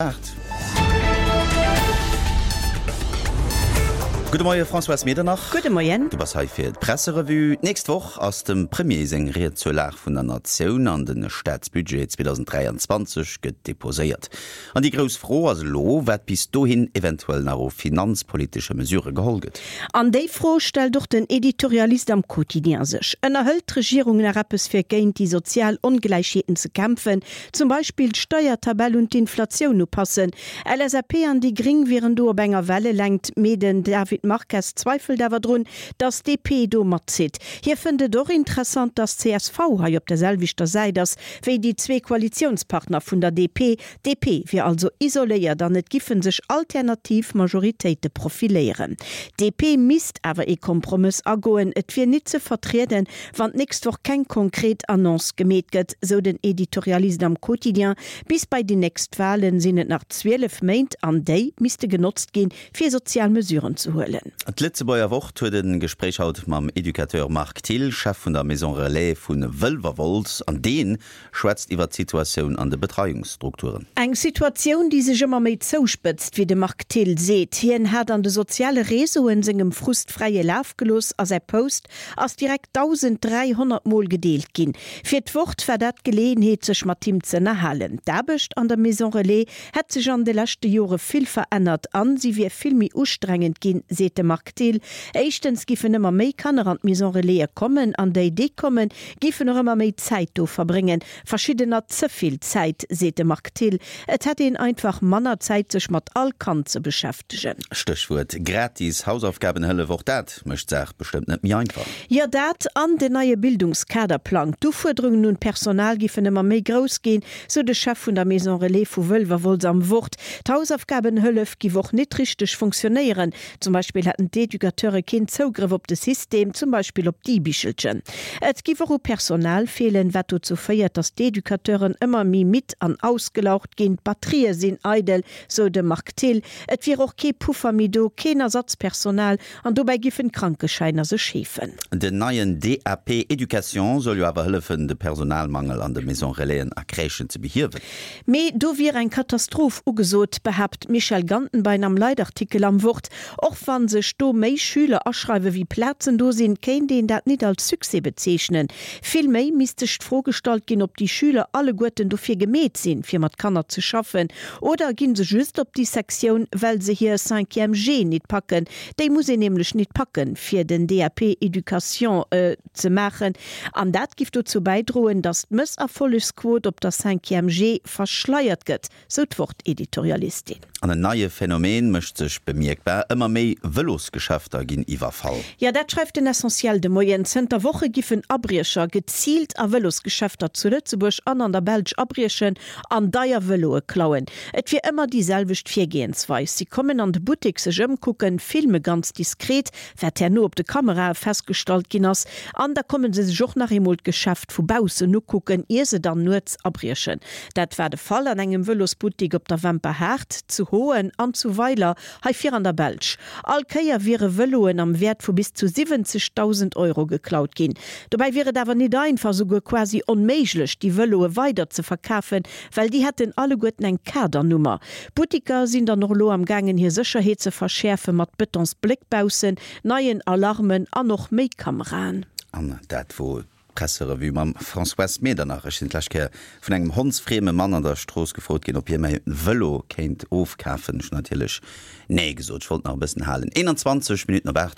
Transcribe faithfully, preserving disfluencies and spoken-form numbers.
Aacht. Gudde Moie Françoise Medernach. Gudde Moien. Du bass hei fir d'Presserevue. D'nächst Woch ass dem Premier seng Ried zur Lag vun der Natioun an de Staatsbudget zweedausenddräianzwanzeg gëtt deposéiert. An déi grouss Fro ass elo, wat bis dohin eventuell nach u finanzpolitesche Mesurë geholl gëtt. An déi Fro stellt och den Editorialist am Quotidien sech. Ënnerhëlt d'Regierung nach eppes fir géint déi sozial Ongläichheeten ze kämpfen, zum Beispill d'Steiertabell un d'Inflatioun upassen? L S A P an déi Gring wieren do op enger Wellelängt, mee den David Marques zweifelt awer drun, datt d'D P do matzitt. Hie fënnt et och interessant, datt C S V hei op der selwechter Säit ass wéi déi zwee Koalitiounspartner vun der D P. D P wier also isoléiert an et giffen sech alternativ Majoritéite profiléieren. D P misst awer ee Kompromëss agoen, et wier nit ze vertrieden, wann d'nächst Woch keng konkret Annonce gemeet gëtt, sou den Editorialist am Quotidien. Bis bei déi nächst Walen sinn et nach zwielef Méint an déi misste genotzt ginn, fir sozial Mesuren ze huelen. D'Lëtzebuerger Wort huet e Gespréich haut mam Educateur Marc Thill, Chef vun der Maison Relais vu Wëlwerwolz, an dee schwätzt iwwer d'Situatioun an de Betreiungsstrukturen. Eng Situatioun, déi sech ëmmer méi zouspëtzt, wéi de Marc Thill seet. Hien hat an de soziale Réseauen sengem Frust fräie Laf gelooss a säi Post ass direkt dausenddräihonnert Mol gedeelt ginn. Fir d'Wort war dat d'Geleeënheet, sech mat him ze ënnerhalen. D'Aarbecht an der Maison Relais hätt sech an de leschte Jore vill verännert an si wier vill méi ustrengend ginn, seet de Marc Thill. Éischtens giffen ëmmer méi Kanner an d'Maison Relaise kommen an déi, déi kommen, giffen och ëmmer méi Zäit do verbréngen. Verschiddener ze vill Zäit, seet de Marc Thill. Et hätt een einfach manner Zäit, sech mat all Kand ze beschäftegen. Stéchwuert gratis Hausaufgabenhëllef, och dat mécht d'Saach bestëmmt net méi einfach. Jo, dat an den neie Bildungskaderplang. D'Ufuerderungen un d'Personal giffen ëmmer méi grouss ginn, sou de Chef vun der Maison Relais vu Wëlwerwolz am Wort. D'Hausaufgabenhëllef giff och nit richteg funktionéieren. Zum Beispill hätten d'Educateure keen Zougrëff op de System, zum Beispill op d'E-Bichelchen. Et giff och u Personal feelen, wat dozou féiert, datt d'Educateuren ëmmer méi midd an ausgelaugt ginn. D'Batterië sinn eidel, sou de Marc Thill. Et wier och kee Puffer méi do, keen Ersatzpersonal an dobäi giffen d'Krankeschäiner sech heefen. Den neien D A P Éducation soll jo awer hëllefen, de Personalmangel an de Maison Relaisen a Crèchen ze behiewen. Mee do wier eng Katastroph ugesot, behaapt d'Michèle Gantenbein am Leitartikel am Wort. Och wa sech do méi Schüler aschreiwe wéi Plazen do sinn, kéint een dat nit als Succès bezeechnen. Vill méi misst sech d'Fro gestallt ginn, ob déi Schüler alleguerten dofir gemeet sinn, fir mat Kanner ze schaffen, oder ginn se just op déi Sektioun, well se hir Cinquième G nit packen. Déi muss een nämlech nit packen, fir den D A P Éducation ze maachen. An dat giff dozou bäidroen, datt d'Mësserfollegsquot op der Cinquième G verschleiert gëtt, sou d'Wort-Editorialistin. An en neie Phänomen mécht sech bemierkbar, ëmmer méi Vëlosgeschäfter ginn iwwerfall. Jo, dat schreift den Essentiel de Moien. Zënter Woche giffen Abriecher geziilt a Vëlosgeschäfter zu Lëtzebuerg an an der Belsch abriechen an deier Vëloe klauen. Et wier ëmmer déi selwecht Virgehensweis, Si kommen an de Buttek sech ëmkucken, filme ganz diskret, wat herno op de Kamerae festgestallt ginn ass, an da komme se sech och nach eemol d'Geschäft vu baussen ukucken, ier se dann nuets abriechen. Dat war de Fall an engem Vëlosbuttek op der Wemperhaart, zu Hoen an zu Weiler hei vir an der Belsch. All Kéier wiere Vëloen am Wäert vu bis zu siwwenzegdausend Euro geklaut ginn. Dobäi wier et awer nit einfach, souguer quasi onméiglech, déi Vëloe weider ze verkafen, well déi hätten alleguerten eng Kadernummer. D'Butteker sinn dann och elo am gaangen hir Sécherheet ze verschäerfe mat Betonsbléck baussen, neien Alarmen an och méi Kameraen. An dat wor d'Presserevue mam Françoise Medernach. Ech sinn d'lescht Kéier vun engem hondsfrieme Mann an der Strooss gefrot ginn, ob hie mäi Vëlo kéint ofkafen. Ech hunn natierlech nee gesot, ech wollt nach e bëssen halen. eenanzwanzeg Minutten op aacht.